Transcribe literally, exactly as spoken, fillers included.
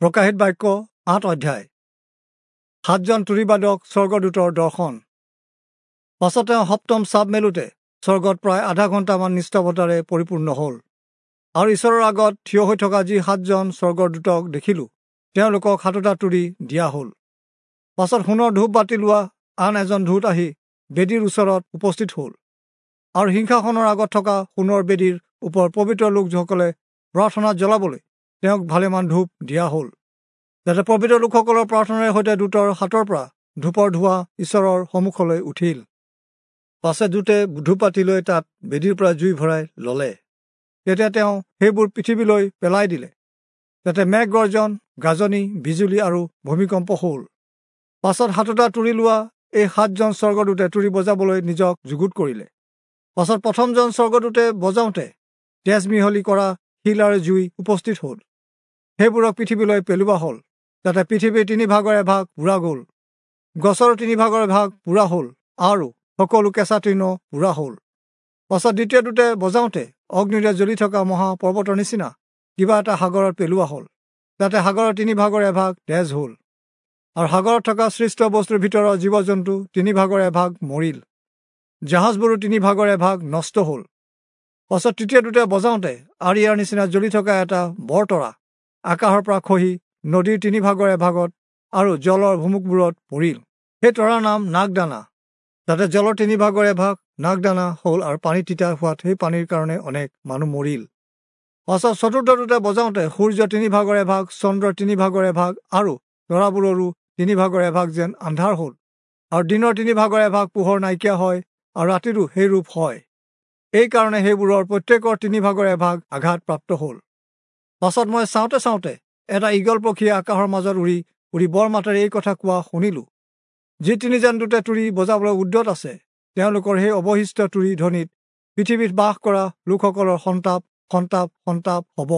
প্ৰকাশিত বাক্য আঠ অধ্যায়। সাতজন তুৰীবাদক স্বৰ্গদূতৰ দৰ্শন। পাছত তেওঁ সপ্তম চাব মেলোতে স্বৰ্গত প্ৰায় আধা ঘণ্টামান নিস্তব্ধতাৰে পৰিপূৰ্ণ হ'ল। আৰু ঈশ্বৰৰ আগত থিয় হৈ থকা যি সাতজন স্বৰ্গদূতক দেখিলোঁ, তেওঁলোকক সাতোটা তুৰী দিয়া হ'ল। পাছত সোণৰ ধূপ বাতি লোৱা আন এজন দূত আহি বেদীৰ ওচৰত উপস্থিত হ'ল, আৰু সিংহাসনৰ আগত থকা সোণৰ বেদীৰ ওপৰত পবিত্ৰ লোকসকলে প্ৰাৰ্থনা জ্বলাবলৈ তেওঁক ভালেমান ধূপ দিয়া হ'ল, যাতে পবিত্ৰ লোকসকলৰ প্ৰাৰ্থনাৰ সৈতে দূতৰ হাতৰ পৰা ধূপৰ ধোঁৱা ঈশ্বৰৰ সন্মুখলৈ উঠিল। পাছে দূতে ধূপবাতি লৈ তাত বেদীৰ পৰা জুই ভৰাই ল'লে। তেতিয়া তেওঁ সেইবোৰ পৃথিৱীলৈ পেলাই দিলে। তাতে মেঘ গৰ্জন, গাজনি, বিজুলী আৰু ভূমিকম্প হ'ল। পাছত সাতোটা তুৰী লোৱা এই সাতজন স্বৰ্গদূতে তুৰী বজাবলৈ নিজক যুগুত কৰিলে। পাছত প্ৰথমজন স্বৰ্গদূতে বজাওঁতে তেজ মিহলি কৰা শিল আৰু জুই উপস্থিত হ'ল। সেইবোৰক পৃথিৱীলৈ পেলোৱা হ'ল। যাতে পৃথিৱীৰ তিনি ভাগৰ এভাগ পোৰা গ'ল, গছৰ তিনি ভাগৰ এভাগ পোৰা হ'ল, আৰু সকলো কেঁচা তৃণ পোৰা হ'ল। পাছত দ্বিতীয় দূতে বজাওঁতে অগ্নিৰে জ্বলি থকা মহাপৰ্বতৰ নিচিনা কিবা এটা সাগৰত পেলোৱা হ'ল। তাতে সাগৰৰ তিনি ভাগৰ এভাগ তেজ হ'ল, আৰু সাগৰত থকা সৃষ্ট বস্তুৰ ভিতৰৰ জীৱ জন্তু তিনি ভাগৰ এভাগ মৰিল, জাহাজবোৰো তিনি ভাগৰ এভাগ নষ্ট হ'ল। পাছত তৃতীয় দূতে বজাওঁতে আৰিয়াৰ নিচিনা জ্বলি থকা এটা বৰ তৰা আকাশৰ পৰা খহি নদীৰ তিনি ভাগৰ এভাগত আৰু জলৰ ভুমুকবোৰত পৰিল। সেই তৰাৰ নাম নাগদানা। তাতে জলৰ তিনি ভাগৰ এভাগ নাগদানা হ'ল, আৰু পানী তিতা হোৱাত সেই পানীৰ কাৰণে অনেক মানুহ মৰিল। পাছত চতুৰ্থ দূতে বজাওঁতে সূৰ্য তিনি ভাগৰ এভাগ, চন্দ্ৰৰ তিনি ভাগৰ এভাগ, আৰু তৰাবোৰৰো তিনি ভাগৰ এভাগ যেন আন্ধাৰ হ'ল, আৰু দিনৰ তিনি ভাগৰ এভাগ পোহৰ নাইকিয়া হয়, আৰু ৰাতিৰো সেই ৰূপ হয়। এইকাৰণে সেইবোৰৰ প্ৰত্যেকৰ তিনি ভাগৰ এভাগ আঘাত প্ৰাপ্ত হ'ল। পাছত মই চাওঁতে চাওঁতে এটা ঈগল পক্ষীয়ে আকাশৰ মাজত উৰি উৰি বৰ মাতেৰে এই কথা কোৱা শুনিলোঁ, যি তিনিজন দূতে তুৰী বজাবলৈ উদ্যত আছে, তেওঁলোকৰ সেই অৱশিষ্ট তুৰী ধ্বনিত পৃথিৱীত বাস কৰা লোকসকলৰ সন্তাপ সন্তাপ সন্তাপ হ'ব।